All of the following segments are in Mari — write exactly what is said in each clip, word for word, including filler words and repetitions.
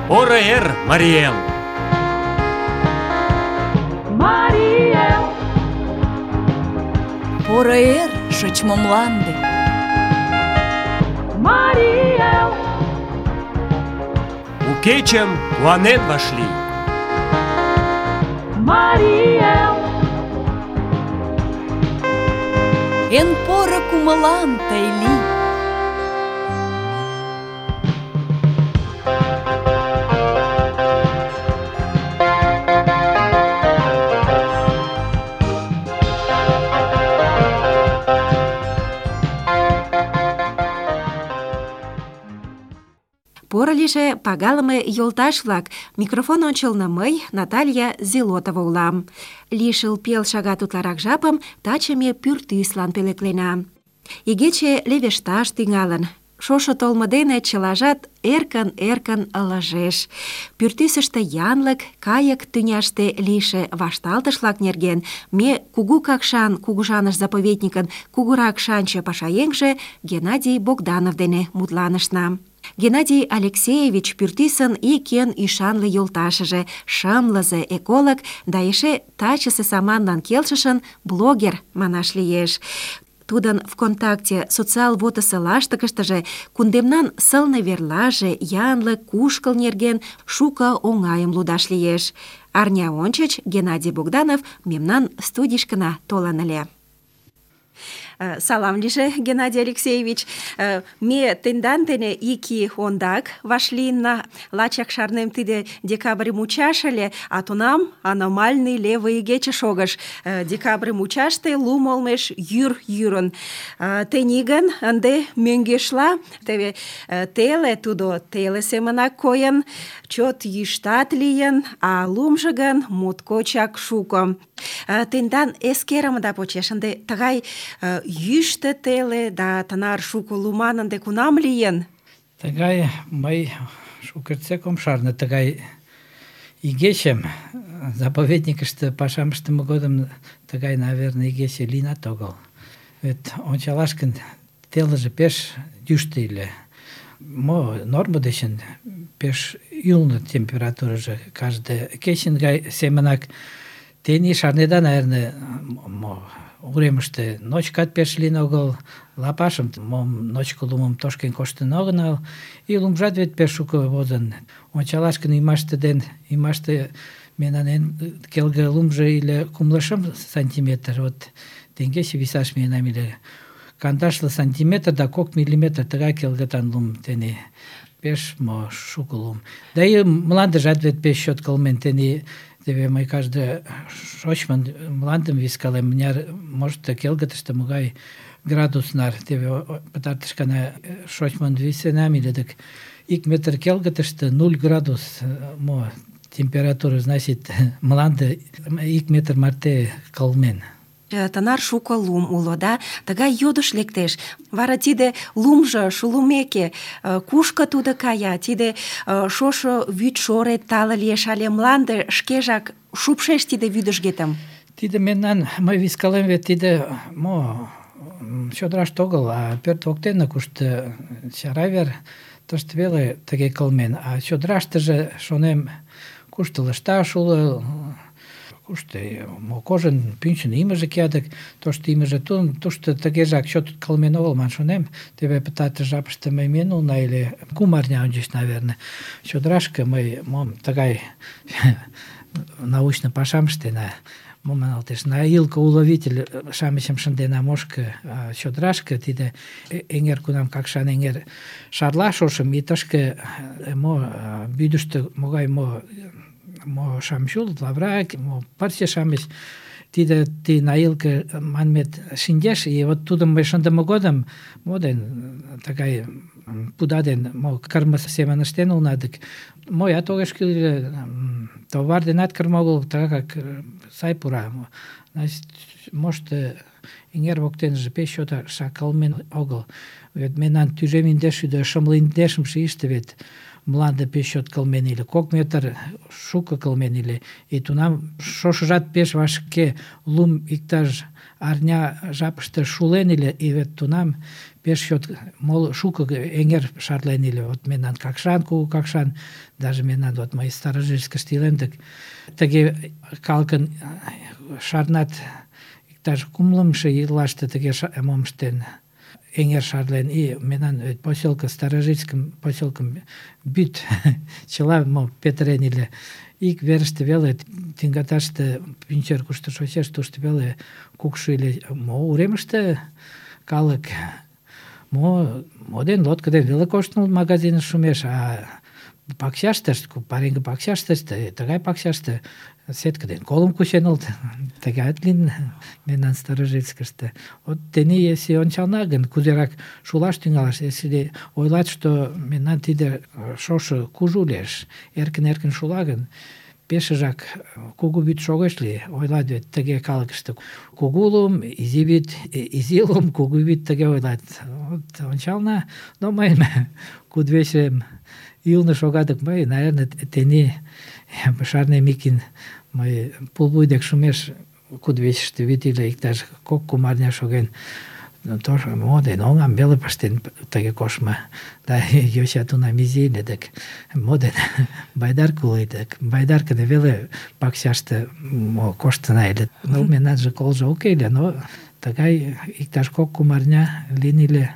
Поро эр, Марий Эл! Марий Эл! Поро эр, шочмо мланде! Марий Эл! У кечым куанен вашлий! Марий Эл! Эн поро кумылан тый лий! Поро лийже, пагалыме йолташ-влак, микрофон ончылно мый, Наталья Зелотова улам. Лишыл пел шагат утларак жапым таче ме пӱртӱслан пӧлеклена. Игече левешташ тӱҥалын. Шошо толмо дене чылажат эркын-эркын ылыжеш. Пӱртӱсыштӧ янлык, кайык тӱняште лийше вашталтыш-влак нерген ме Кугу Какшан кугыжаныш заповедникын кугурак шанче пашаеҥже Геннадий Богданов дене мутланышна. Геннадий Алексеевич пӱртӱсын ик эн ӱшанле йолташыже, шымлызе эколог да эше тачысе саманлан келшышын блогер манаш лиеш. Тудын ВКонтакте социал вотысо лаштыкыштыже кундемнан сылне верлаже, янлык, кушкыл нерген шуко оҥайым лудаш лиеш. Арня ончыч Геннадий Богданов мемнан студийышкына толын ыле. Салам лийже, Геннадий Алексеевич. Ме тендан дене ик ий ондак вашлийынна. Лачак шарнем, тиде декабрь мучаш ыле, а тунам аномальный левый игече шогыш. Декабрь мучаште лум олмеш йӱр йӱрын. Тений гын ынде мӧҥгешла, теве теле тудо теле семынак койын, чот йӱштат лийын, а лумжо гын моткочак шуко. Тендан эскерымыда почеш ынде тыгай йӱштӧ теле да тынар шуко луман ынде кунам лийын? Тыгай мый шукертсек ом шарне тыгай игечым. Заповедникыште пашам ыштыме годым тыгай, наверное, игече лийынат огыл. Вет ончалаш гын, телыже пеш йӱштӧ ыле. Мо нормо дечын пеш ӱлнӧ температурыжо, каждый кечын гай семынак. Тений шарнеда, наверное, мо уремыште ночкат пеш лийын огыл, лапашым, мом ночко лумым тошкен коштын огынал, и лумжат вет пеш шуко возын. Ончалаш гын, ӱмаште ден ӱмаште мемнан эн келге лумжо ыле кумло шым сантиметр, вот теҥгече висаш миенам ыле кандашле сантиметр да кок миллиметр, тыгай келгытан лум тений. Пеш мо шуко лум. Да и мландыжат вет пеш чот кылмен тений. Теве мый каждый шочмын мландым вискалем, мыняр, может, келгытыште могай градус нар. Теве пытартыш гана шочмын висенам ыле, дык ик метр келгытыште нуль градус мо температура, значит, мланде ик метр марте кылмен. Тынар шуко лум уло, да? Тыгай йодыш лектеш. Вара тиде лумжо шулымеке, кушко тудо кая? Тиде шошо вӱдшорет тале лиеш але мланде шкежак шупшеш тиде вӱдыжгетым? Тиде мемнан, мый вискалем вет тиде мо чодыраште огыл, а пӧрт воктене, кушто чара вер, тыште веле тыге кылмен. А чодыраштыже, шонем, кушто лышташ уло, кушто мо кожын пӱнчын имыже киядык, тошто имыже тушто тыгежак чот кылмен огыл ман шонем. Теве пытартыш жапыште мый миен улына ыле, кум арня ончыч, наверное, чодырашке мый мом тыгай научный пашам ыштена. Мом маналтеш, на илка-уловитель-шамычым шындена мошко чодырашке, тиде эҥер кунам Какшан эҥер шарла шошым, и тышке мо вӱдыштӧ могай мо мо шамыч улыт, лавыра, мо пырче-шамыч, тиде ти наилка манмет шинчеш, и вот тудым мый шындыме годым мо ден тыгай пуда ден мо кырме семын ыштен улына, дык моят огеш кӱл ыле, товар денат кырме огыл, тыгак сай пура. Значит, может, эҥер воктеныже пеш чотак кылмен огыл. Вет мемнан тӱжем индеш шӱдӧ шымле индешымше ийыште вет мланде пеш чот кылмен ыле, кок метр шуко кылмен ыле. И тунам шошыжат пеш вашке, лум иктаж арня жапыште шулен ыле, и вет тунам пеш чот моло шуко эҥер шарлен ыле. Вот мемнан Какшан, кугу Какшан, даже мемнан вот мый Старожильскыште илем, так тыге калыкын шарнат иктаж кумлымшо ийлаште тыге мом ыштен, эҥер шарлен, и мемнан поселка Старожильскым поселкым вӱд чыла мо петырен ыле. Ик верыште веле, тӱҥгаташте пӱнчер кушто шочеш, тушто веле кукшо ыле. Мо уремыште калык мо мо ден лодко ден веле коштын магазиныш шумеш, а пакчаште, пареҥге пакчаште, тыгай пакчаште сетка ден колым кучен улыт. Тыгайат лийын мемнан Старожильскыште. Вот тений, если ончална гын, кузерак шулаш тӱҥалаш, если ойлат, что мемнан тиде шошо кужу лиеш, эркын-эркын шула гын, пешыжак кугу вӱд шогеш ли, ойлат вет тыге калыкыште. Кугу лум, изи вӱд, изи лум, кугу вӱд, тыге ойлат. Вот ончална, но мыйын кудывечем ӱлнӧ шогатык, мый, наверное, тений шарнем икин, мый пулвуй дек шумеш кудывечыште вӱд ыле, иктаж кок-кум арня шоген. Тоже мо ден оҥам веле пыштен тыге коштмо. Да йоча тунам изи ыле, дык мо ден байдарка уло, дык байдарка дене веле пакчаште мо коштына ыле. Ну, мемнанже колжо уке ыле, но тыгай иктаж кок-кум арня лийын ыле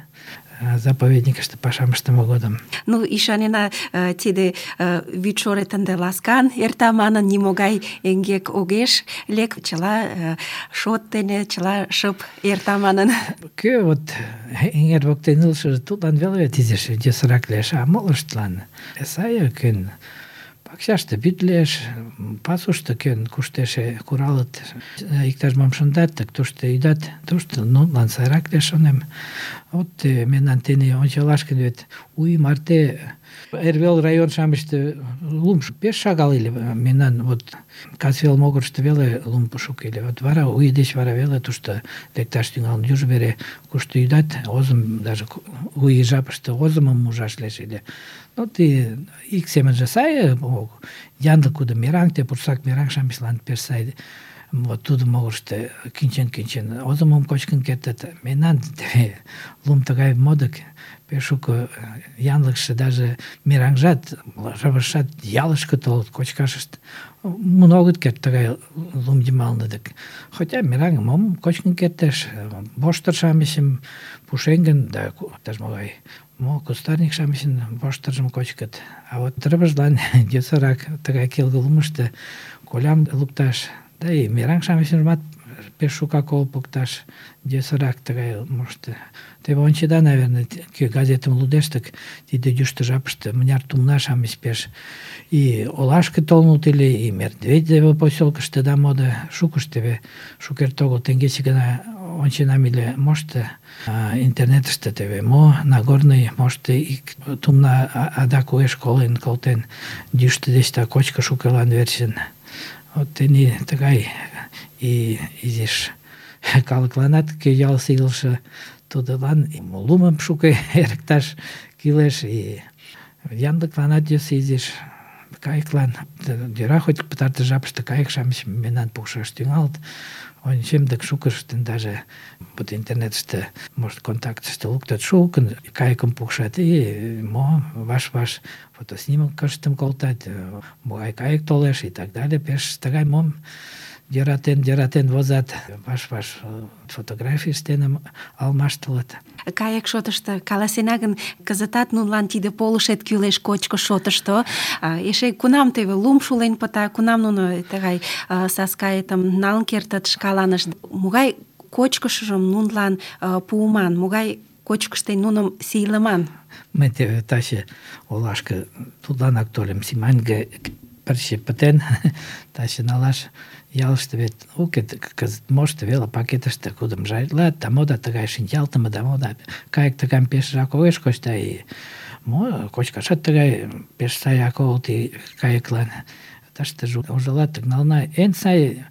заповедникыште пашам ыштыме годым. Ну, ӱшанена, тиде вӱд шорет ынде ласкан эрта манын, нимогай эҥгек огеш лек, чыла шот дене, чыла шып эрта манын. Кӧ вот эҥер воктен илышыже, тудлан веле вет изиш йӧсырак лиеш, а молыштлан сай кӧн пакчаште вӱд лиеш, пасушто кӧн куштеше куралыт, иктаж-мом шындат, так тушто ӱдат, тушто нунылан сайрак лиеш, шонем. Вот мемнан тений ончалаш гын, вет у ий марте эрвел район-шамычте лум пеш шагал ыле. Мемнан вот касвел могырышто веле лум шуко ыле. Вот вара, у ий деч вара веле тушто лекташ тӱҥалын. Южо вере кушто ӱдат, озым, даже у ий жапыште озымым ужаш лиеш ыле. Ну, ты ик семынже сай, янлык кудо мераҥ, те пурсак мераҥ-шамычлан пеш сай. Вот тудо могырышто кӱнчен-кӱнчен озымым кочкын кертыт. Мемнан лум тыгай модык, пеш шуко янлыкше, даже мераҥжат, рывыжшат ялышке толыт кочкашышт. Мун огыт керт тыгай лум йымалне дык. Хотя мераҥым мом кочкын кертеш, воштыр-шамычым, пушеҥгын да иктаж-могай мо кустарник-шамычын воштыржым кочкыт. А вот рывыжлан йӧсырак тыгай келге лумышто колям лукташ, да и мераҥ-шамычымат пеш шукак олпыкташ йӧсырак тыгай мошто. Теве ончеда, наверное, кӧ газетым лудеш, так тиде йӱштӧ жапыште мыняр тумна-шамыч пеш и олашке толын улыт ыле, и Медведево поселкыште да мода шукышт теве шукерте огыл теҥгече гына онченам ыле, мошто интернетыште теве мо Нагорный мошто ик тумна адак уэш колен колтен йӱштӧ деч да кочко шукылан верчын. Вот тений тыгай и изиш калыкланат, кӧ ялысе илыше, тудылан лумым шуко эрыкташ кӱлеш, и янлыкланат йӧсӧ изиш, кайыклан. Йӧра, хоть пытартыш жапыште кайык-шамыч мемнан пукшаш тӱҥалыт. Ончем, дык шукыштын даже вот интернетыште, может, контактыште луктыт, шукын кайыкым пукшат, и мо ваш-ваш фотоснимкыштым колтат, могай кайык толеш и так далее. Пеш тыгай мом йӧратен-йӧратен возат, ваш-ваш фотографий ыштен алмаштылыт. Кайык шотышто каласена гын, кызытат нунылан тиде полышет кӱлеш кочко шотышто. Эше кунам теве лум шулен пыта, кунам нуно тыгай саскайытым налын кертыт шкаланышт. Могай кочкышыжым нунылан пуыман, могай кочкыш дене нуным сийлыман? Мый теве таче олашке тудланак тольым, Симаньге пырче пытен, таче налаш. Ялыште вет уке, кызыт мошто веле пакетыште кудым жайлат, да мода тыгай шинчалтыме, да мода кайык тыгайым пешыжак огеш коч, да и мо кочкашат тыгай пеш саяк огыл ти кайыклан. Тыште ужалат, нална эн сай,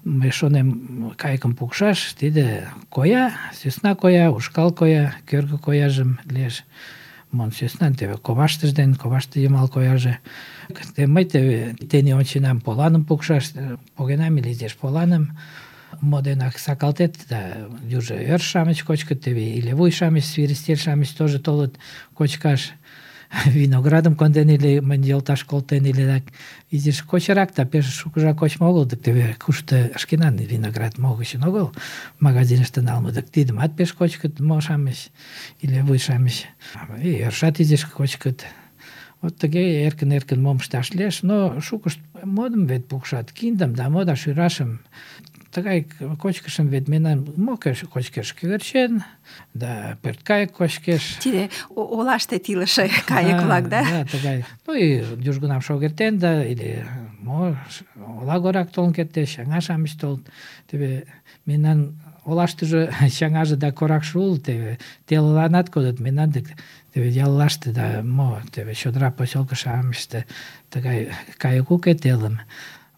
мый шонем, кайыкым пукшаш, тиде коя, сӧсна коя, ушкал коя, кӧргӧ кояжым лиеш. мон сӧснан теве коваштыж ден коваште йымал кояже. Те мый теве тений онченам поланым пукшаш, погенам или изиш поланым, мо денак сакалтет, да южо ӧрш-шамыч кочкыт, теве или вуй-шамыч, свиристель-шамыч тоже толыт кочкаш. Виноградым конден или мынь йолташ колтен или так изиш кочырак, да пеш шукыжак кочмо огыл, дык теве кушто шкенан виноград могычын огыл магазиныште налме, дык тидымат пеш кочкыт мо-шамыч или вуй-шамыч. И ӧршат изиш кочкыт. Вот тыге эркын-эркын мом ышташ лиеш, но шукышт модым вет пукшат, киндым да мо да шӱрашым. Тыгай кочкышым вет мемнан мо кочкеш? Кӧгӧрчен, да пӧрткайык кочкеш. Тиде о- олаште илыше кайык-влак, да? Да, тыгай. Ну и южгунам шогертен, да, или мо ола горак толын кертеш, чаҥа-шамыч толыт. Теве мемнан олаштыже чаҥаже да коракше улыт, теве телыланат кодыт, мемнан дык теве яллаште да мо, теве чодыра посёлко-шамычыште тыгай кайык уке телым.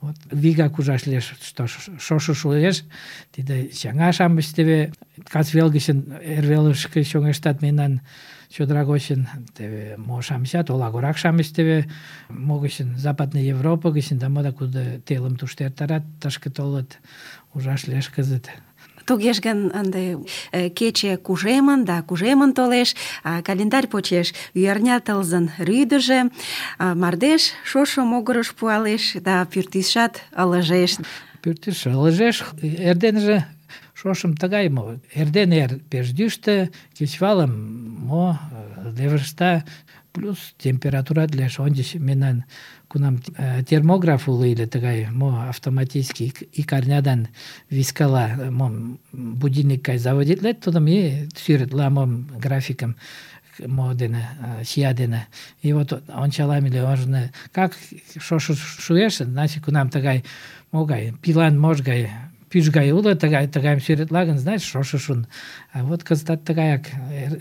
Вот вигак ужаш лиеш, что шошо шуэш, тиде чаҥа-шамыч теве касвел гычын эрвелышке чоҥештат мемнан чодыра гочын, теве мо-шамычат, олагорак-шамыч теве мо гычын, Западный Европа гычын, да мода куды телым тушто эртарат, тышке толыт, ужаш лиеш кызыт. Тугеш гын, ынде э, кече кужемын да кужемын толеш, а календарь почеш ӱярня тылзын рӱдыжӧ, а мардеж шошо могырыш пуалеш да пӱртӱсшат ылыжеш. Пӱртӱс ылыжеш, эрденыже шошым тыгай мо, эрден эр пеш йӱштӧ, кечывалым мо левышта, плюс температурат лиеш. Ончыч мемнан кунам термограф уло ыле тыгай мо автоматический ик арнядан вискала мо будильник гай заводитлет, тудым и сӱретла мом графикым мо дене, чия дене. И вот ончалам ыле ожно, как шошо шуэш, значит кунам тыгай могай пилан мож гай пӱж гай уло, тыгай тыгайым сӱретла гын, значит шошо шун. А вот кызытат тыгаяк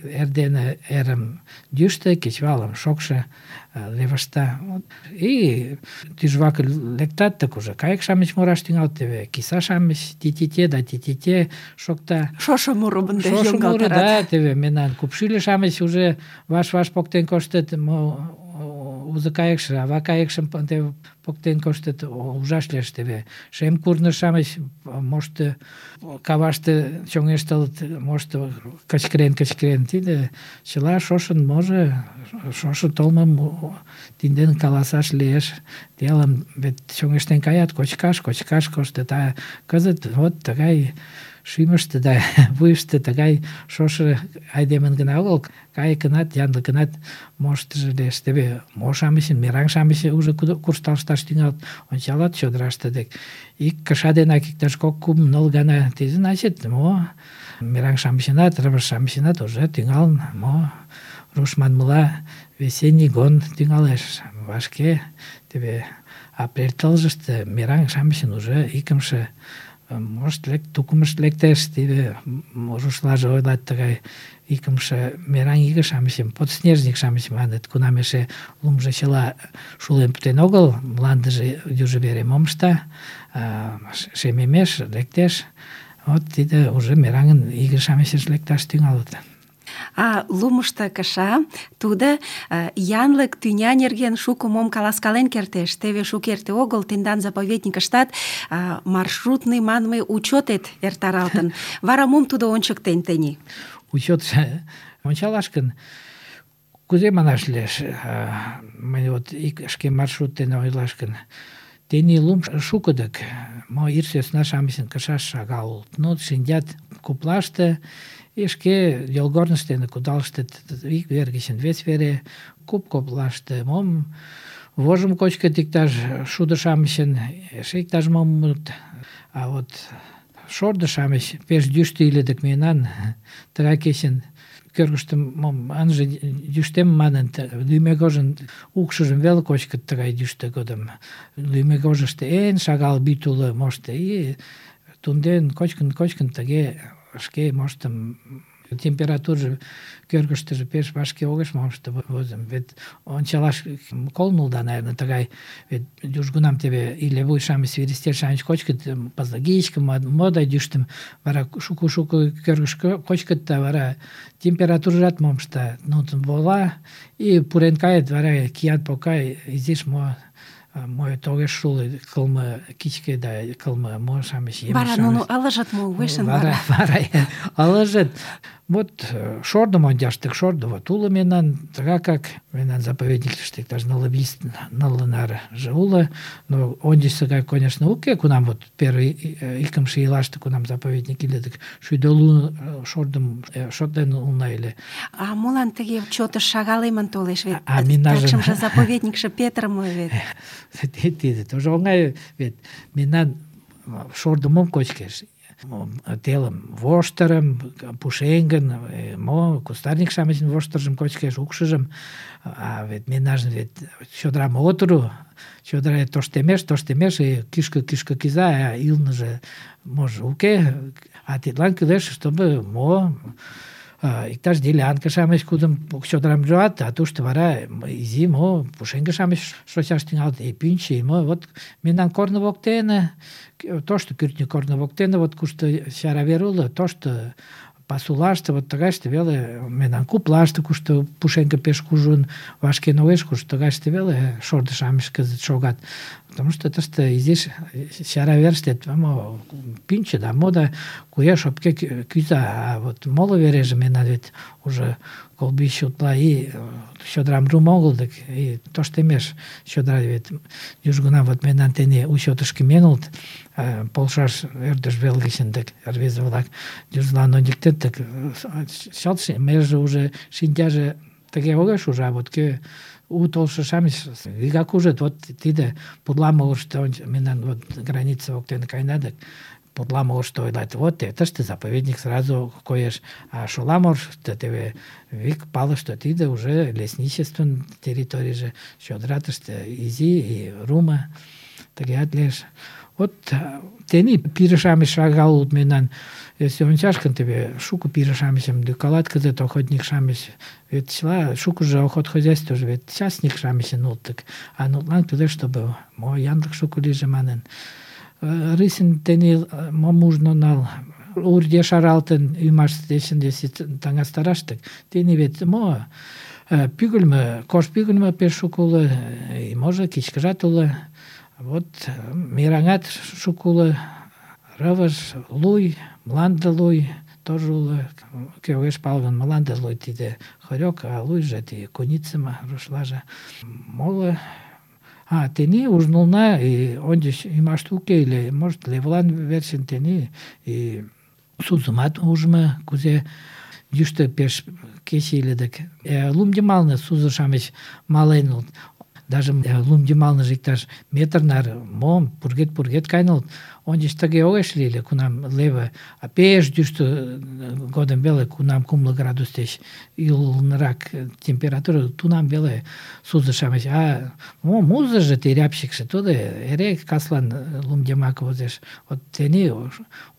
эрдене эрым йӱштӧ, кечывалым шокшо левышта. И тӱжвак лектат, так уже кайык-шамыч мураш тӱҥалыт, теве киса-шамыч ти-ти-те да ти-ти-те шокта. Шошо мурым ынде Шошо муро, да, йоҥгалтарат. теве мемнан купшӱльӧ-шамыч уже ваш-ваш поктен коштыт, мо узо кайыкше, ава кайыкшым теве поктен коштыт, ужаш лиеш теве. Шем курныж-шамыч мошто каваште чоҥештылыт, мошто кычкырен-кычкырен. Тиде чыла шошын можо, шошо толмым тидден каласаш лиеш. Телым вет чоҥештен каят, кочкаш, кочкаш коштыт, а кызыт вот тыгай шӱмыштӧ да вуйышто тыгай шошо айдемын гына огыл, кайыкынат, янлыкынат моштыжо лиеш. Теве мо-шамычын, мераҥ-шамыч уже куржталышташ тӱҥалыт, ончалат чодыраште дек. Ик кыша денак иктаж кок-кум ныл гана, тиде значит, мо мераҥ-шамычынат, рывыж-шамычынат уже тӱҥалын, мо руш манмыла весенний гон тӱҥалеш. Вашке теве апрель тылзыште мераҥ-шамычын уже икымше может лек, тукымышт лектеш, тиде рушлаже ойлат тыгай икымше мераҥ иге-шамычым, подснежник-шамыч маныт, кунам эше лумжо чыла шулен пытен огыл, мландыже южо вере мом ышта, шемемеш, лектеш, вот тиде уже мераҥын иге-шамычыш лекташ тӱҥалыт. А лумышто кыша, тудо э, янлык тӱня нерген шуко мом каласкален кертеш. Теве шукерте огыл тендан заповедникыштат э, маршрутный манме учётет эртаралтын. Вара мом тудо ончыктен тений? Учётшо ончалаш гын, кузе манаш лиеш, мый вот ик шке маршрут дене ойлаш гын, тений лум шуко дык, мо ир сӧсна-шамычын кышаш шагал улыт. Ну, шинчат куплаште, и шке йолгорныш дене кудалыштыт ик вер гычын вес вере, куп коплаште мом вожым кочкыт иктаж шудо-шамычын, эше иктаж-мом муыт. А вот шордо-шамыч пеш йӱштӧ ыле дык мемнан тыгай кечын кӧргыштӧ мом ынже йӱштем манын, лӱмегожын укшыжым веле кочкыт тыгай йӱштӧ годым. Лӱмегожышто эн шагал вӱд уло мошто, и тунден кочкын-кочкын тыге шке моштым температуржо кӧргыштыжӧ пеш вашке огеш мошто возым. Вет ончалаш колнулда, наверное, тыгай, вет южгунам тебе или вуй-шамыч, свиристер-шамыч кочкыт, пазлагичкым, мода дӱштым, вара шуко-шуко кӧргыш кочкыт, да вара температуржат мом ышта, нутын вола, и пурен кает, вара кият покай, изиш мо мой тогеш шул кылмы кичке да кылмы мо-шамыч, емыш-шамыч. Вара нуно ылыжыт мо, вешен Вара, вара ылыжыт. Вот шордым ончаштык, шордо вот уло мемнан, тыга как мемнан заповедниктыште иктаж нылле вич нылле нарыже уло, но ончычсыга, конечно, уке, кунам вот первый икымше ийлаште кунам заповедник иле, шӱдӧ лу шордым шотлен улна ыле. А молан тыге чотыш шагалемын толеш, вет А минажын- такшымже заповедникше петырыме вет. Тиде тоже оҥай, вет мемнан шордо мом кочкеш? Телым воштырым, пушеҥгын, мо, кустарник-шамычын воштыржым кочкеш, укшыжым. А вет мемнажын вет чодырам от уру, чодыра тоштемеш, тоштемеш, и кӱшкӧ-кӱшкӧ кӱза, а ӱлныжӧ можо уке. А тидлан кӱлеш, чтобы мо, иктаж делянка-шамыч кудым чодырам жуат, а тушто вара изи мо пушеҥге-шамыч шочаш тӱҥалыт, и пӱнчӧ, и мо. Вот мемнан корно воктене, тошто кӱртньӧ корно воктене, вот кушто чара вер уло, тошто пасулаште, вот тыгайыште веле, мемнан куплаште, кушто пушеҥге пеш кужун вашкен огеш, кушто тыгайыште веле шордо-шамыч кызыт шогат. Потому что тыште изиш чара верыште мо пӱнчӧ да мо да куэ шопке кӱза, а вот моло вереже мемнан вет уже колбищ утла и чодырам руымо огыл, дык и тоштемеш чодыра, вет южгунам вот мемнан тений учётышко миен улыт, полшаш ӧрдыж вел гычын, дык рвезе-влак южлан ончыктет, дык чылт меже уже шинчаже тыге огеш уж, а вот кӧ у толшо-шамыч вигак ужыт, вот тиде Пурла-могырышто мемнан вот граница воктене каена, дык Пурла-могырышто ойлат, вот тыште заповедник сразу коеш, а Шола-могырышто теве вик пале, что тиде уже лесничествын территорийже, чодыра тыште изи и руымо, тыгеат лиеш. Вот тений пире-шамыч шагал улыт мемнан. Если ончаш гын, теве шуко пире-шамычым лӱкалат кызыт охотник-шамыч. Вет чыла шукыжо охотхозяйствыже вет частник-шамычын улыт, дык а нутлан кӱлеш, чтобы мо янлык шуко лийже манын. Рысин тений мом ужно нал, урде шаралтын ӱмаш дечын если таҥастараш, дык тений вет мо пӱгыльмӧ, кож пӱгыльмӧ пеш шуко уло, и можо кичкыжат уло. Вот мераҥат шуко уло, рывыж, луй, мланде луй тоже уло. Кӧ огеш пале гын, мланде луй тиде хорёк, а луйжо тиде куницыме, рушлаже. Моло А, тений ужнулна, и ончыч ӱмаште уке ыле, может, Левылан верчын тений и сузымат ужмо, кузе йӱштӧ пеш кече иле, дык лум йымалне сузо-шамыч мален улыт. Даже лум йымалныже иктаж метр наре мом пургед-пургед каен улыт. Ончыч тыге огеш лий ыле, кунам леве, а пеш йӱштӧ годым веле, кунам кумло градус деч ӱлнырак температура, тунам веле сузо-шамыч. А мо музыжо, те рябчыкше, тудо эре каслан лум йымак возеш. Вот тений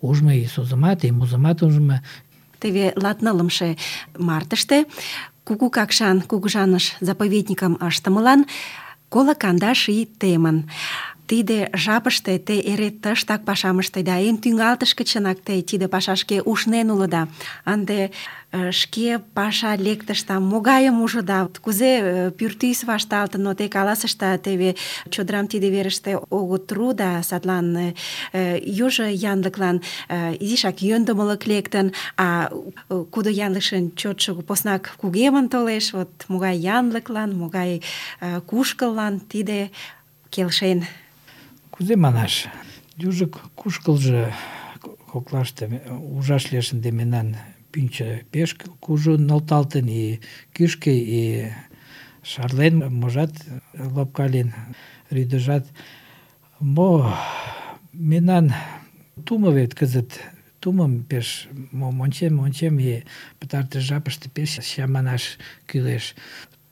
ужмо и сузымат, и музымат ужмо. Теве латнылымше мартыште Кугу Какшан кугыжаныш заповедникым ыштымылан коло кандаш ий темын. Тиде жапыште те эре тыштак пашам ыштеда, эн тӱҥалтышке чынак те тиде пашашке ушнен улыда. Ынде шке паша лектышда, могайым ужыда, кузе пӱртӱс вашталтын, но те каласышда, теве чодырам тиде верыште огыт ру да садлан южо янлыклан изишак йӧндымылык лектын, а кудо янлыкшын чотшо поснак кугемын толеш, вот могай янлыклан, могай кушкыллан тиде келшен. Кузе манаш, южо кушкылжо коклаште ужаш лиеш, ынде мемнан пӱнчӧ пеш кужун нӧлталтын, и кӱшкӧ, и шарлен, можат лопкален, рӱдыжат. Мо мемнан тумо вет кызыт, тумым пеш мом ончем, ончем, и пытартыш жапыште пеш чаманаш кӱлеш.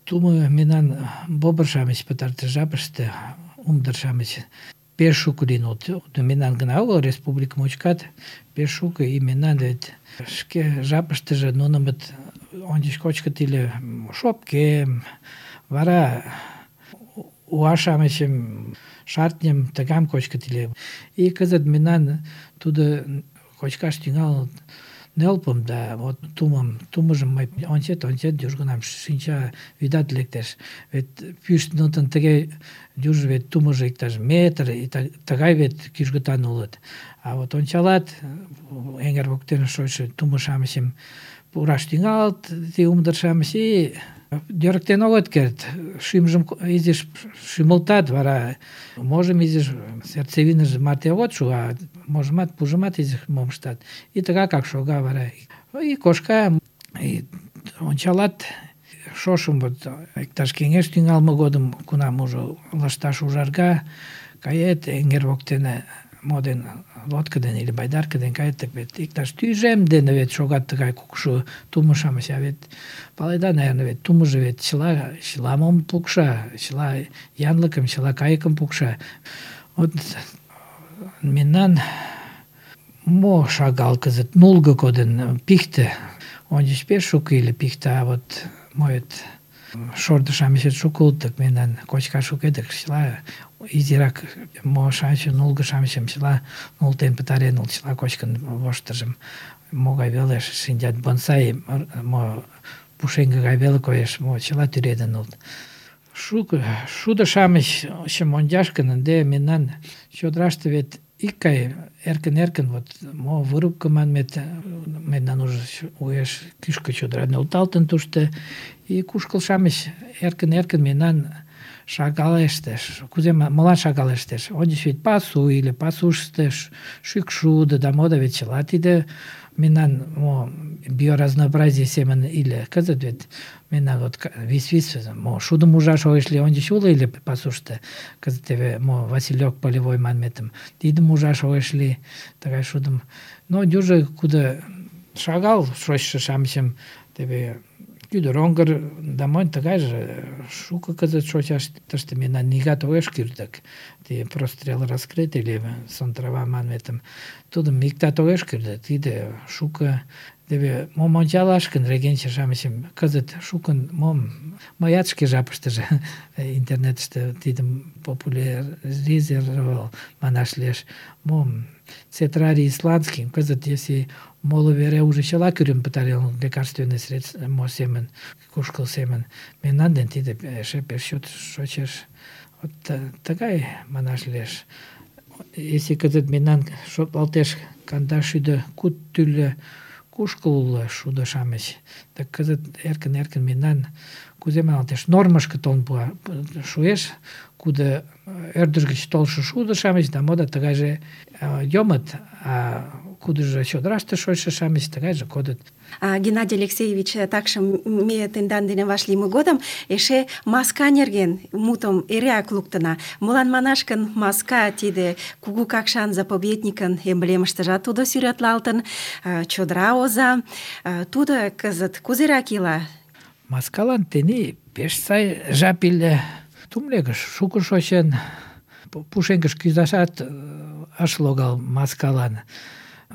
Тумо мемнан бобр-шамыч пытартыш жапыште, умдыр-шамыч пеш шуко лийын улыт. Мемнан гына огыл, республика мучкат пеш шуко, и мемнан вет шке жапыштыже нунымыт ончыч кочкыт ыле шопкем, вара уа-шамычым, шартньым тыгам кочкыт ыле. И кызыт мемнан тудо кочкаш тӱҥалын нӧлпым да вот тумым, тумыжым мый ончет-ончет, южгунам шинча вӱдат лектеш. Вет пӱштынытын тыге южо вет тумыжо иктаж метр, и тыгай вет кӱжгытан улыт. А вот ончалат, эҥер воктене шочшо тумо-шамычым пураш тӱҥалыт, ти умдыр-шамыч, и йӧрыктен огыт керт. Шӱмжым изиш шӱмылтат, вара можым изиш сердцевиныже марте огыт шу, а можымат, пужымат изиш мом ыштат. И тыгакак шога вара. И кошка, и ончалат, шошым вот иктаж кеҥеж тӱҥалме годым, кунам уже лышташ ужарга, кает эҥер воктене моден лодка дене или байдарка дене кает, так вет иктаж тӱжем дене вет шогат тыгай кукшо тумо-шамыч, а вет паледа, наверное, вет тумыжо вет чыла, чыла мом пукша, чыла янлыкым, чыла кайыкым пукша. Вот мемнан мо шагал кызыт, нулго кодын, пихте, ончыч пеш шуко ыле пихте, а вот моет шордо-шамычет шуко улыт, так мемнан кочкаш шуко, так чыла изирак мо-шамычым, нулго-шамычым чыла нултен пытарен улыт, чыла кочкын воштыржым. Могай велеш шинчат, бонсай, мо пушеҥге гай веле коеш, мо чыла тӱредын улыт. Шуко шудо-шамычым ончаш гын, ынде мемнан чодыраште вет икгай эркын-эркын, вот мо вырубка манмет, мемнан уже уэш кӱшкӧ чодыра нӧлталтын тушто, и кушкыл-шамыч эркын-эркын мемнан шагалештеш. Кузе молан шагалештеш? Ончыч вет пасу или пасушто шӱкшудо да мо да вет чыла тиде мемнан мо биоразнообразие семын иле. Кызыт вет мемнан вот вис-вис мо шудым ужаш огеш лий, ончыч уло ыле пасушто. Кызыт теве мо Василек полевой манметым тидым ужаш огеш лий, тыгай шудым. Но южо кудо шагал шочшо-шамычым теве кӱдыр оҥгыр да монь тыгайже шуко кызыт шочаш тыште мемнан нигат огеш кӱрдык. Ти прострел раскрыт или сон трава манметым тудым иктат огеш кӱрдык. Тиде шуко теве мом ончалаш гын, регенче-шамычым кызыт шукын мом мыят шке жапыштыже интернетыште тидым популяризировал манаш лиеш. Мом цетрарий исландский, кызыт если моло вере уже чыла кӱрен пытарен лекарственный средство мо семын, кушкыл семын, мемнан ден тиде эше пеш чот шочеш. Вот тыгай манаш лиеш. Если кызыт мемнан шотлалтеш кандашӱдӧ куд тӱрлӧ кушкыл уло шудо-шамыч, так кызыт эркын-эркын мемнан кузе маналтеш, нормышко толын пуа, шуэш, кудо ӧрдыж гыч толшо шудо-шамыч да мода тыгайже йомыт, а кудыжо чодыраште шочшо-шамыч тыгайже кодыт. А, Геннадий Алексеевич, такшым ме тендан дене вашлийме годым эше маска нерген мутым эреак луктына. Молан манаш гын, маска тиде кугу Какшан заповедникын эмблемыштыжат тудо сӱретлалтын, чодыра оза. Тудо кызыт кузерак ила? Маскалан тений пеш сай жап ыле. Тумлегыш шуко шочын, пушеҥгыш кӱзашат ыш логал маскалан.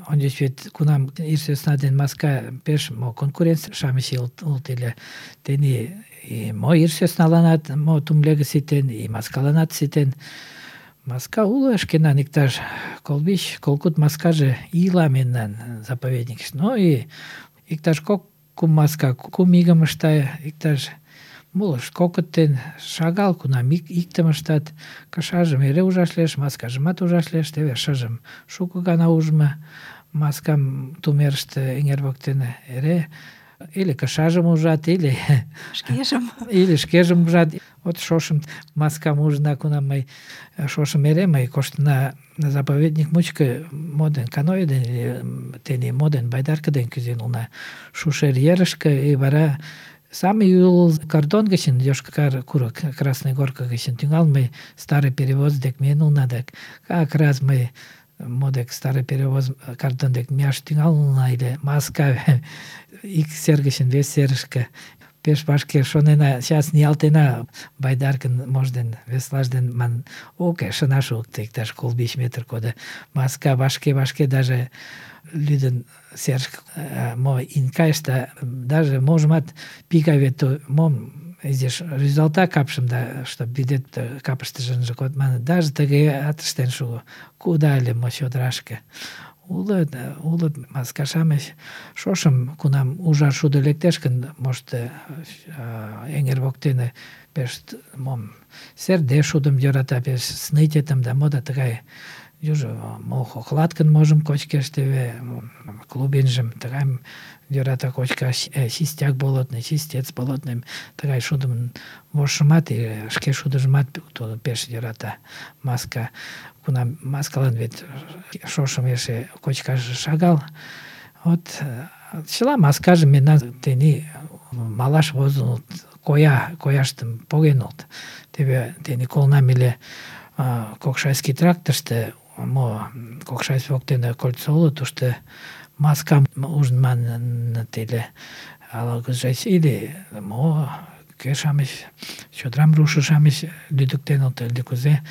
Ончыч вет кунам ир сӧсна ден маска пеш мо конкурент-шамыч улыт ыле. Тений и мо ир сӧсналанат мо тумлеге ситен, и маскаланат ситен. Маска уло шкенан иктаж колвич, колкуд маскаже ила мемнан заповедникыште. Ну и иктаж кок-кум маска кум игым ышта, иктаж молышт кокыттен шагал, кунам ик, иктым ыштат. Кышажым эре ужаш лиеш, маскажымат ужаш лиеш, теве шыжым шуко гана ужмо маскам тумерыште эҥер воктене эре или кышажым ужат, или Шкежым. или шкежым ужат. Вот шошым маскам ужына, кунам мый шошым эре мый коштына заповедник мучко моден каноэ дене, тений моден байдарка дене кӱзен улына Шушер ерышке, и вара самый ӱлыл кордон гычын, Йошкар курык, Красный Горка гычын тӱҥалме старый перевоз дек миен улына, дек как раз мый мо дек старый перевоз кордон дек мияш тӱҥалын улына ыле, маска ик сер гычын вес серышке пеш вашке шонена, сейчас ниялтена Байдаркын можден, веслажден ман уке, шына шуыкто, иктаж коло-вич метр кода. Маска вашке-вашке даже лӱдын серыш мо ин кайыш да даже можымат пика вет мом изиш рӱзалта капшым да, чтоб вӱдет капыштыже ынже код манын, даже тыгеат ыштен шуо. Куда ыле мо чодырашке. Улыт, улыт маска-шамыч шошым, кунам ужар шудо лектеш гын, может, эҥер воктене пеш мом серде шудым йӧрата, пеш снытетым да мо да тыгай южо мо хохлаткын можым кочкеш теве, клубинжым тыгайым йӧрата кочкаш, чистяк болотный, чистец болотный, тыгай шудым вожшымат, шке шудыжымат тудо пеш йӧрата маска. Кунам маскалан вет шошым эше кочкаш шагал. Вот чыла маскажым мемнан тений малаш возыныт, коя, кояштым погенылт. Теве тений колынам ыле Кокшайский трактыште, мо Кокшайский воктене кольцо уло, тушто маскам ужын маныныт ыле. Ала-кузеч или мо кӧ-шамыч, чодырам руышо-шамыч лӱдыктеныт ыле кузе.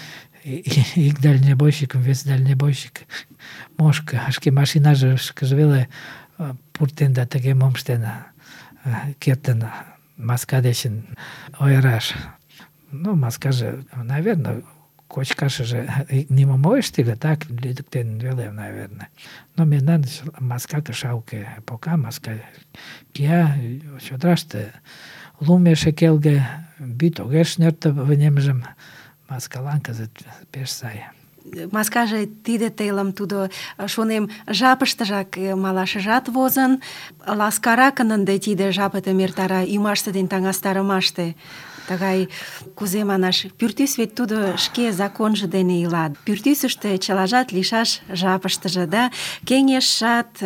Ик дальнебойщикым, вес дальнебойщик мошко, шке машинажышкыже веле пуртен да тыге мом ыштен кертын маска дечын ойыраш. Ну, маскаже, наверное, кочкашыже нимом огеш тиде, так лӱдыктен веле, наверное. Но мемнан маска кыша уке. Пока маска кия чодыраште, лум эше келге, вӱд огеш нӧртӧ вынемжым. Маскалан кызыт пеш сай. Маскаже тиде телым тудо, шонем, жапыштыжак малашыжат возын, ласкаракын ынде тиде жапетым эртара ӱмаште ден таҥастарымаште. Тыгай, кузе манаш, пӱртӱс вет тудо шке законжо дене ила. Пӱртӱсыштӧ чылажат лийшаш жапыштыже, да, кеҥежшат,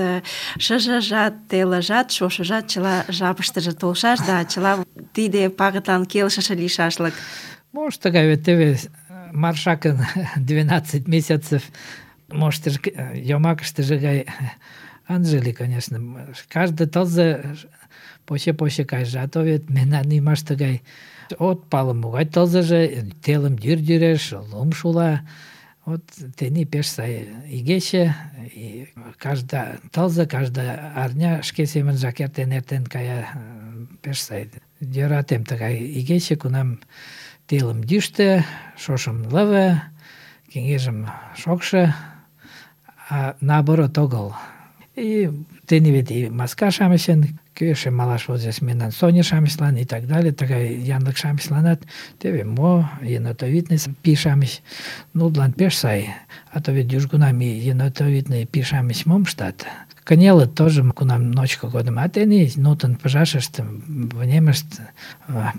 шыжыжат, телыжат, шошыжат чыла жапыштыже толшаш, да чыла тиде пагытлан келшыше лийшашлык. Может, тыгай вет теве маршакын двенадцать месяцев, может, йомакыштыже гай ынже лий, конечно. Каждый тылзе поче-поче кайыш, а то вет мемнан ӱмаште гай от пале могай тылзыже, телым йӱр-йӱреш, лум шула. Вот тений пеш сай игече, и каждый тылзе, каждый арня шке семынжак эртен-эртен кая, пеш сай. Йӧратем тыгай игече, кунам телым йӱштӧ, шошым лыве, кеҥежым шокшо, а наоборот огыл. И тений вет и маска-шамычын, кӧ эше малаш возеш мемнан Соня-шамычлан и так далее, тыгай янлык-шамычланат теве мо енотовидный пий-шамыч, нудлан пеш сай. А то вет южгунам и енотовидный пий-шамыч мом ыштат? Кынелыт тоже, кунам ночко годым, а тений нутын пыжашышт, вынемышт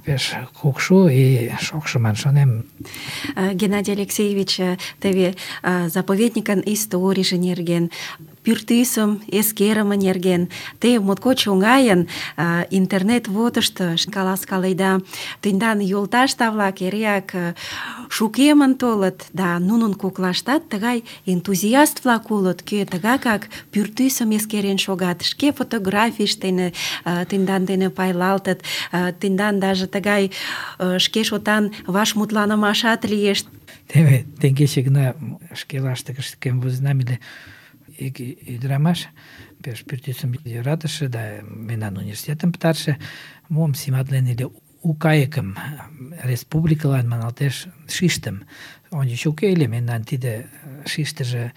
пеш кукшу и шокшо ман шонем. Геннадий Алексеевич, теве заповедникын историйже нерген, пӱртӱсым эскерыме нерген, те моткоч оҥайын интернет водышто каласкаледа. Тендан йолташ-влак эреак шукемын толыт, да нунын коклаштат тыгай энтузиаст-влак улыт, кӧ тыгакак пӱртӱсым эскерен шогат, шке фотографийышт дене тендан дене пайлалтыт, тендан даже тыгай шке шотан вашмутланымашат лиеш. Теве теҥгече гына шке лаштыкышкем возенам ыле ик ӱдырамаш, пеш пӱртӱсым йӧратыше да мемнан университетым пытарыше, мом симатлен ыле, у кайыкым республикылан маналтеш шиштым. Ончыч уке ыле, мемнан тиде шиштыже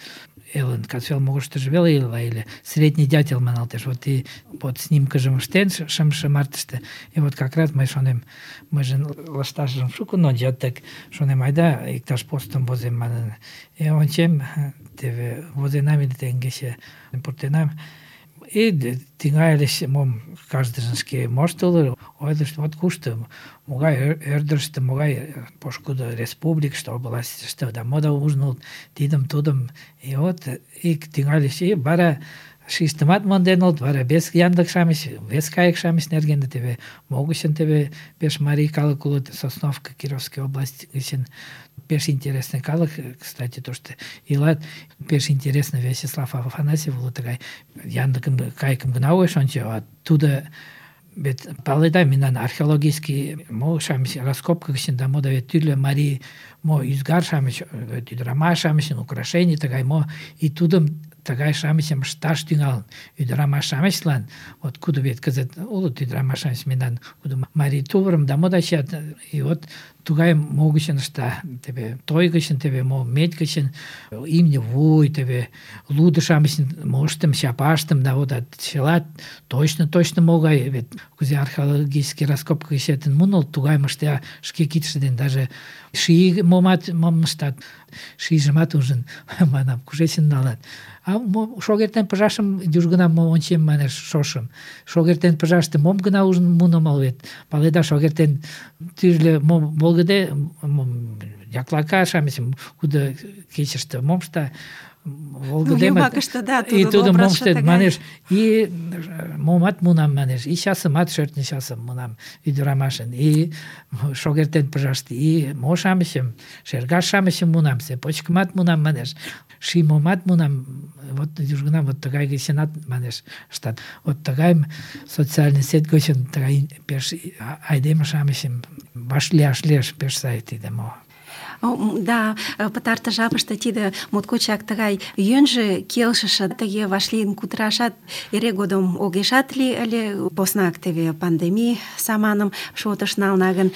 элын касвел могырыштыжо веле ила ыле, средний дятел маналтеш. Вот и вот снимкыжым ыштен шымше мартыште, и вот как раз мый шонем, мыйже лышташыжым шукын ончат, так шонем, айда иктаж постым возем манын. И ончем, теве возенам ыле теҥгече пуртенам. И тӱҥальыч мом каждыжын шке моштыло, ойлышт, вот кушто, могай ӧрдыжтӧ, могай пошкудо республикыште, областьыште, да мо да ужыныт, тидым-тудым. И вот ик тӱҥальыч, и вара шиштымат монденыт, вара вес янлык-шамыч, вес кайык-шамыч нерген, теве могычын теве пеш марий калык улыт, Сосновка, Кировский область гычын. Пеш интересный калык, кстати, тушто илат. Пеш интересный Вячеслав Афанасьев уло тыгай янлыкым, кайыкым гына огеш ончо, а тудо вет паледа, мемнан археологический мо-шамыч раскопка гычын да мо да вет тӱрлӧ марий мо ӱзгар-шамыч, ӱдырамаш-шамычын украшений тыгай мо, и тудым тыгай-шамычым ышташ тӱҥалын. Ӱдырамаш-шамычлан, вот кудо вет кызыт улыт ӱдырамаш-шамыч мемнан, кудо марий тувырым да мо да чият, и вот тугай мо гычын ышта, теве той гычын, теве мо медь гычын, имне вуй, теве лудо-шамычын моштым, чапаштым, да вот чыла точно-точно могай, вет кузе археологический раскопка гыч эртен муно, тугайым ышта шке кидше дене, даже ший момат мом ыштат, шийжымат ужын, манам, кушечын налат. А мо шогертен пыжашым южгунам мо ончем, манеш, шошым. Шогертен пыжаште мом гына ужын муно мал вет. Паледа, шогертен тӱрлӧ мо волгыде, яклака-шамычым, кудо кечыште мом ышта, волгыдемат, и тудым мом ыштет, манеш, и момат мунам, манеш, и часымат, шӧртньӧ часым мунам ӱдырамашын, и шогертен пыжаште, и мо-шамычым, шергаш-шамычым мунам, цепочкымат мунам, манеш, ший момат мунам, вот южгунам вот тыгай гычынат, манеш, ыштат. Вот тыгайым социальный сеть гычын тыгай пеш айдеме-шамычым вашлияш лиеш пеш сай тиде мо. Да, пытартыш жапыште тиде моткочак тыгай йӧнжӧ келшыше тыге вашлийын кутырашат эре годым огешат лий ыле, поснак теве пандемий саманым шотыш нална гын,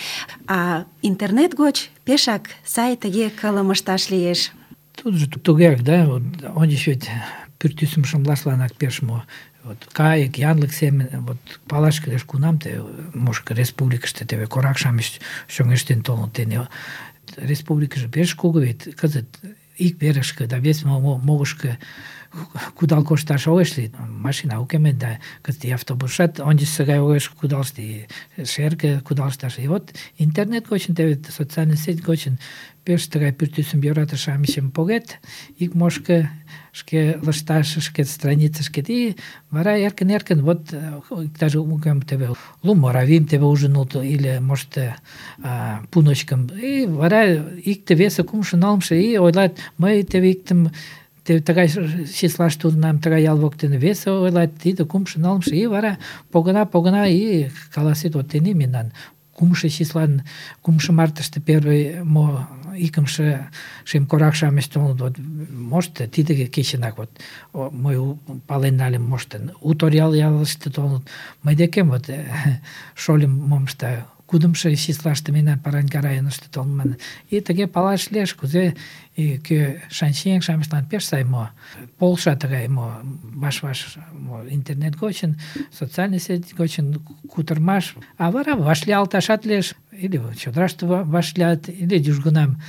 а интернет гоч пешак сай тыге кылым ышташ лиеш. Тут же тугеак, да, вот ончыч вет пӱртӱсым шымлашланак пеш мо. Вот кайык, янлык семын, вот палаш кӱлеш кунам те, может, республикыште теве корак-шамыч чоҥештен толыныт тене. Республикыже пеш кугу вет, кызыт ик верышке да вес могышко кудал кошташ огеш лий, машина уке мет, да кызыт и автобусшат ончычсо гай огеш кудалышт, и шерге кудалышташ. И вот интернет гочын, теве социальный сеть гочын пеш тыгай пӱртӱсым йӧратыше-шамычым погет, ик мошко шке лышташ, шке страницышкет, и вара эркын-эркын, вот даже угем теве лум оравим теве ужын улыт, или может пуночкым, и вара икте весе кумшо нылымше, и ойлат, мый теве иктым теве тыгай числаште улынам, тыгай ял воктене, весе ойлат, тиде кумшо нылымше, и вара погына-погына, и каласет, вот тений мемнан кумшо числан, кумшо мартыште первый мо икымше шем корак-шамыч толыныт, вот, может, тиде кечынак, вот, мый пален нальым, может, Уторял ялыште толыныт, мый декем, вот, шольым мом ышта, кудымшо числаште мемнан Параньга районышто толман. И тыге палаш лиеш, кузе кӧ шанчиеҥ-шамычлан пеш сай мо полша тыгай мо ваш-ваш интернет гочын, социальный сеть гочын кутырмаш, а вара вашлиялташат лиеш, или чодыраште вашлият, или южгунам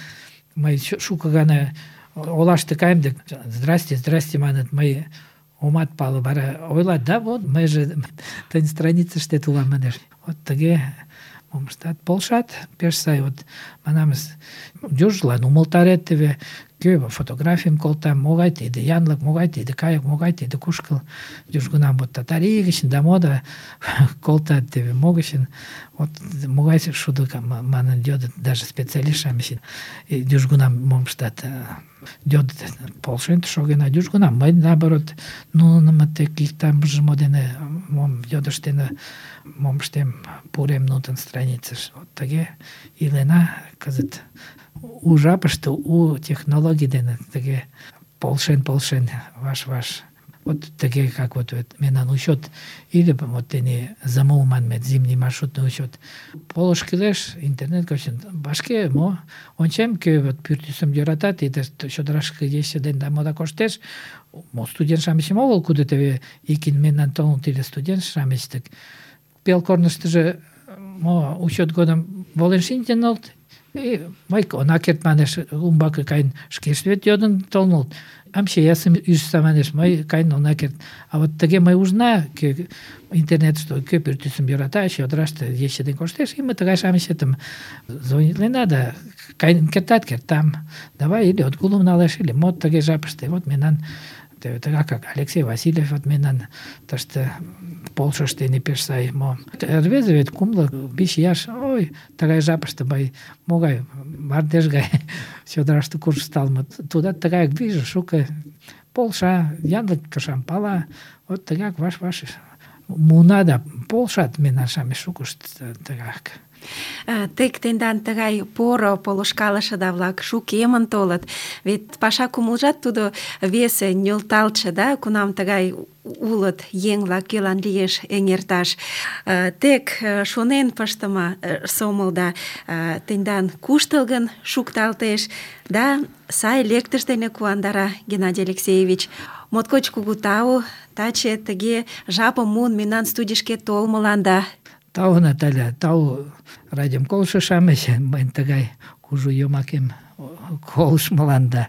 мый шуко гана олаште каем дык, здрасте, здрасте маныт, мый омат пале, вара ойлат, да, вот, мыйже тыйын страницыште улам, манеш. Вот тыге мом ыштат, полшат, пеш сай, вот, манамыз, южлан умылтарет теве, кӧ фотографийым колта, могай тиде янлык, могай тиде кайык, могай тиде кушкыл, южгунам вот Татарий гычын да мода колтат теве могычын, вот могай шудо манын йодыт, даже специалист-шамычын, южгунам мом ыштат, йодыт, полшен шоген, а южгунам мый, наоборот, нунымат тек иктамже мо дене мом йодыштене, мом ыштем, пурем нутын страницыш. Вот тыге илена кызыт у жапыште, у технологий дене тыге полшен-полшен, ваш-ваш. Вот тыге, как вот мемнан учет, или вот тене замол манмет, зимний маршрутный учет. Полыш кӱлеш, интернет гочын вашке мо ончем, кӧ вот пӱртӱсым йӧратат, и чодырашке ече ден да мода коштеш, мо студент-шамычым огыл, кудо теве икин мемнан толыныт, или студент-шамыч, тык пел корныштыжо мо учет годым волен шинчен улыт, и мый она керт, манеш, умбаке кайын шкешт вет йодын толын улыт. Амчеясым ӱжса, манеш, мый кайын она керт. А вот тыге мый ужна, кӧ интернетыште кӧ пӱртӱсым йӧрата, чодыраште ече ден коштеш, и мый тыгай-шамычетым звонитлена, да кайын кертат, кертам. Давай или отгулым налеш, или мо тыге жапыште. Вот мемнан тыгак, как Алексей Васильев, вот мемнан тыште полшыште не пеш сай мо. Рвезе вет кумло биш ияш, ой, тыгай жапыште мый могай мардеж гай чодыраште куржталмыт. Тудат тыгаяк вийже шуко полша, янлык кышам пала, вот тыгак ваш-ваш муна да полшат мемнан-шамыч шукышт тыгак. Тек тендан тыгай поро полышкалышыда-влак шукемын толыт. Вет паша кумылжат тудо весе, нӧлталтше, да, кунам тыгай улыт еҥ-влак, кӧлан лиеш эҥерташ. Тек шонен пыштыме сомылда тендан куштылгын шукталтеш, да сай лектыш дене куандара, Геннадий Алексеевич. Моткоч кугу тау, таче тыге жапым муын мемнан студийышке толмыланда. Тау, Наталья, тау радиом колышо-шамыч, мыйын тыгай кужу йомакем колыштмыланда.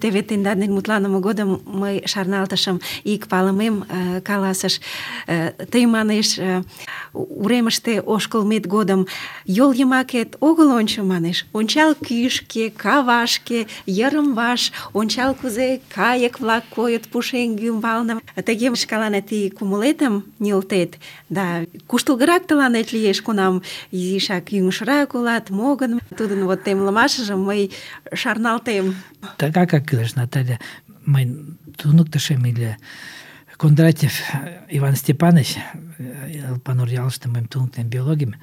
Теве тендан дене мутланыме годым мый шарналтышым, ик палымем э, каласыш. Э, тый, манеш, э, уремыште ошкылмет годым йол йымакет огыл ончо, манеш. Ончал кӱшкӧ, кавашке, йырым-ваш, ончал кузе кайык-влак койыт пушеҥге ӱмбалне. Тыге шкаланет и кумылетым нӧлтет, да куштылгырак тыланет лиеш, кунам изишак ӱҥышрак улат, мо гын. Тудын вот темлымашыжым мый шарналтем. Тыгакак кӱлеш, Наталья. Мыйын туныктышем ыле Кондратьев Иван Степанович, Элпанур ялыште мыйым туныктен биологийым.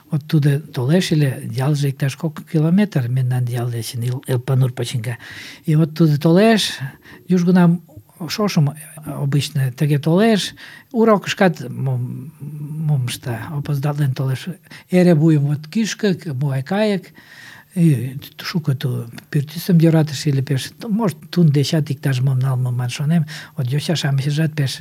Вот тудо толеш ыле, ялже иктаж кок километр мемнан ял дечын, Элпанур почиҥга. И вот тудо толеш, южгунам шошым обычно тыге толеш, урокышкат мом мом ышта, опоздален толеш. Эре вуйым вот кӱшкӧ, могай кайык. И шуко ту пӱртӱсым йӧратыш ыле пеш. Может, тудын дечат иктаж-мом налмыман шонем. Вот йоча-шамычшат пеш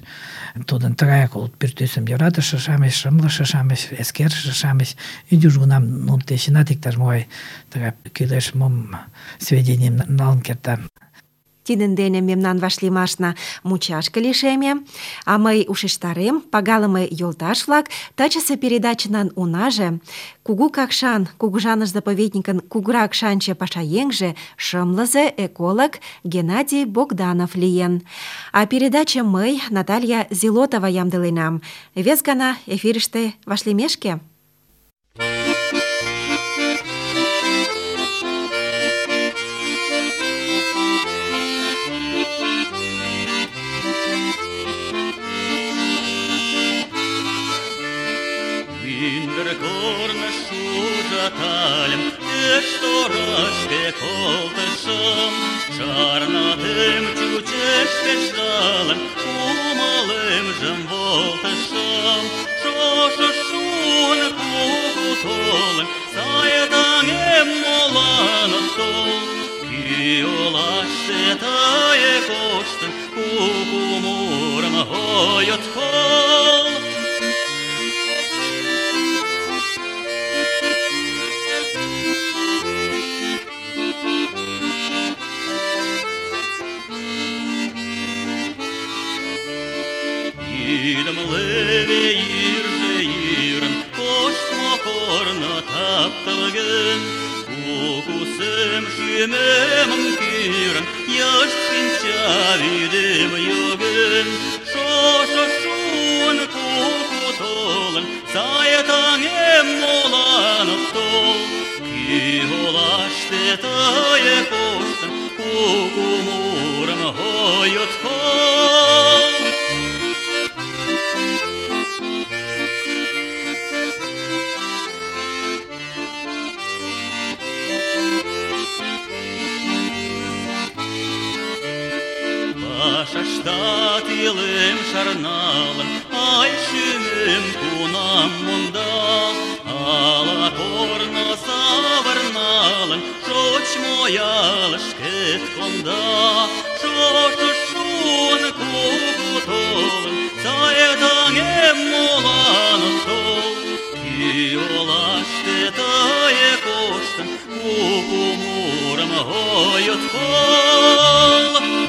тудын тыгаяк улыт, пӱртӱсым йӧратыше-шамыч, шымлыше-шамыч, эскерыше-шамыч. И южгунам нунын дечынат иктаж-могай тыгай кӱлеш мом сведенийым налын кертам. Тидын дене мемнан вашлиймашна мучашке лишеме, а мый ушештарем, пагалыме йолташ-влак, тачысе передачынан унаже Кугу Какшан кугыжаныш заповедникын кугурак шанче пашаеҥже, шымлызе эколог Геннадий Богданов лийын. А передача мый, Наталья Зилотова, ямдыленам. Вес гана эфирыште вашлиймешке. Ужаталем, пеш торашке колтышым, шарналтем чучеш пеш жалым, кумылемжым волтышым. Шошо шуын кугу толын, сай таҥем молан от тол. Кӱ олаште тые коштын, кугу мурым ой от кол. Идем леве йырже йырын, коштмо корно тапталген. Куку сем шӱмемым кӱрын, йышт шинча вӱдем йоген. Шошо шуын куку толын, сай таҥем молан от тол. Кӱ олаште тые коштын, куку мурым ой от кол. Пашаштат илем шарналын, ай шӱмем кунам монда. Ала корно савырналын, шочмо ялышкет конда. Шошо шуын кугу толын, сай таҥем молан от тол. Кӱ олаште тые коштын, куку мурым ой от кол.